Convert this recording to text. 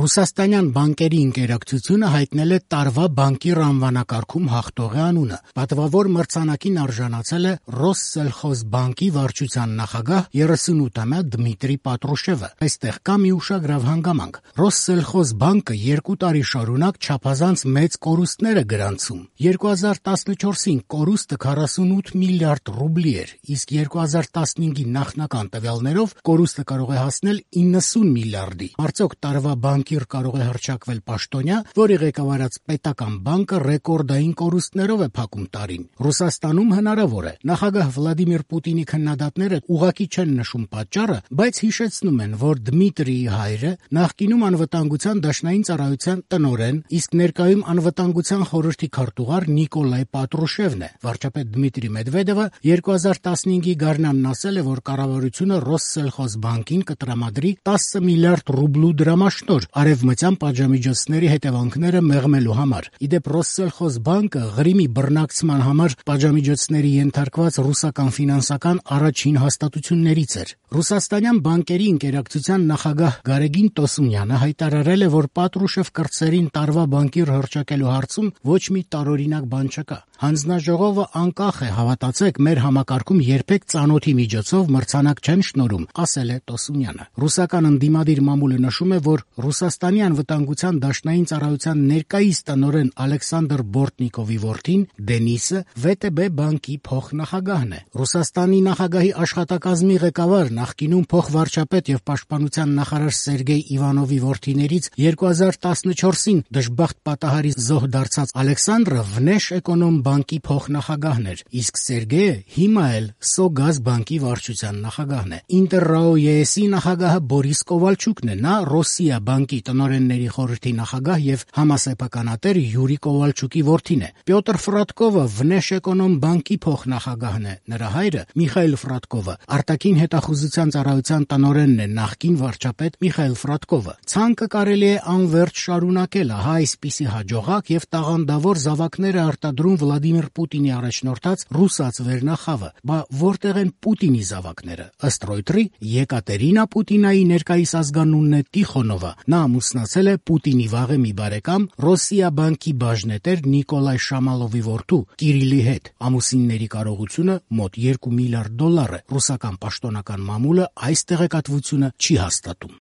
Ռուսաստանյան բանկերի ինտերակցիոնը հայտնել է տարվա բանկիր անվանակարգում հաղթողի անունը։ Պատվավոր մրցանակին արժանացել է Ռոսսելխոզբանկի վարչության նախագահ 38-ամյա Դմիտրի Պատրուշևը։ Այստեղ կա մի ուշագրավ հանգամանք։ Ռոսսելխոզբանկը 2 տարի շարունակ չափազանց մեծ կորուստներ է գրանցում։ 2014-ին կորուստը 48 միլիարդ ռուբլի էր, իսկ 2015-ի նախնական տվյալներով կորուստը կարող է հասնել 90 միլիարդի։ Արդյոք տարվա բանկիր կարող է հռչակվել պաշտոնյա, որի ղեկավարած պետական բանկը ռեկորդային կորուստներով է փակում տարին։ Ռուսաստանում հնարավոր է։ Նախագահ Վլադիմիր Պուտինի քննադատները ուղղակի չեն նշում պատճառը, բայց հիշեցնում են, որ Դմիտրիի հայրը նախկինում անվտանգության դաշնային ծառայության տնօրեն, իսկ ներկայում անվտանգության խորհրդի քարտուղար Նիկոլայ Պատրուշևն է։ Վարչապետ Դմիտրի Մեդվեդևը 2015-ի գարնանն ասել է, որ կառավարությունը Ռոսսելխոզբանկին կտրամադրի 10 միլիարդ ռուբլու դրամաշնորհ արևմտյան պատժամիջոցների հետևանքները մեղմելու համար։ Իդեպ Ռոսսելխոզբանկը Ղրիմի բռնակցման համար պատժամիջոցների ենթարկված ռուսական ֆինանսական առաջին հաստատություններից էր։ Ռուսաստանյան բանկերի ինտերակցիոն նախագահ Գարեգին Տոսունյանը հայտարարել է, որ Պատրուշև կրտսերին տարվա բանկիր հռչակելու հարցում ոչ մի տարօրինակ բան չկա։ Հանձնաժողովը անկախ է, հավատացեք, մեր համակարգում երբեք ծանոթի միջոցով մրցանակ չեն շնորհում, ասել է Տոսունյանը։ Ռուսական ընդդիմադիր մամուլը նշում է, որ Ռուսաստանի անվտանգության դաշնային ծառայության ներկայիս տնօրեն Ալեքսանդր Բորտնիկովի որդին Դենիսը ՎՏԲ բանկի փոխնախագահն է։ Ռուսաստանի նախագահի աշխատակազմի ղեկավար, նախկինում փոխվարչապետ եւ պաշտպանության նախարար Սերգեյ Իվանովի որդիներից 2014-ին դժբախտ պատահարի զոհ դարձած Ալեքսանդրը Վնեշէկոնոմ բանկի փոխնախագահն էր, իսկ Սերգեյը հիմա էլ Սոգազ բանկի վարչության նախագահն է։ Ինտերրաո-ԵՍ-ի նախագահը Բորիս Կովալչուկն է։ Նա Ռոսիա բանկի տնօրենների խորհրդի նախագահ եւ համասեփականատեր Յուրի Կովալչուկի որդին է։ Պյոտր Ֆրատկովը Վնեշէկոնոմ բանկի փոխնախագահն է։ Նրա հայրը Միխայել Ֆրատկովը արտաքին հետախուզության ծառայության տնօրենն է, նախկին վարչապետ Միխայել Ֆրատկովը։ Ցանկը կարելի է անվերջ շարունակել, ահա այսպիսի հաջողակ եւ տաղանդավոր զավակներ է արտադրում Վլադիմիր Պուտինի առաջնորդած ռուսաց վերնախավը։ Բա որտեղ են Պուտինի զավակները։ Ըստ Ռոյտերի Եկատերինա Պուտինայի ներկայիս ազգանունն է Տիխոնովա։ Նա ամուսնացել է Պուտինի վաղեմի բարեկամ Ռոսիա բանկի բաժնետեր Նիկոլայ Շամալովի որդու Կիրիլի հետ։ Ամուսինների կարողությունը մոտ $2 միլիարդ է։ Ռուսական պաշտոնական մամուլը այս տեղեկատվությունը չի հաստատում։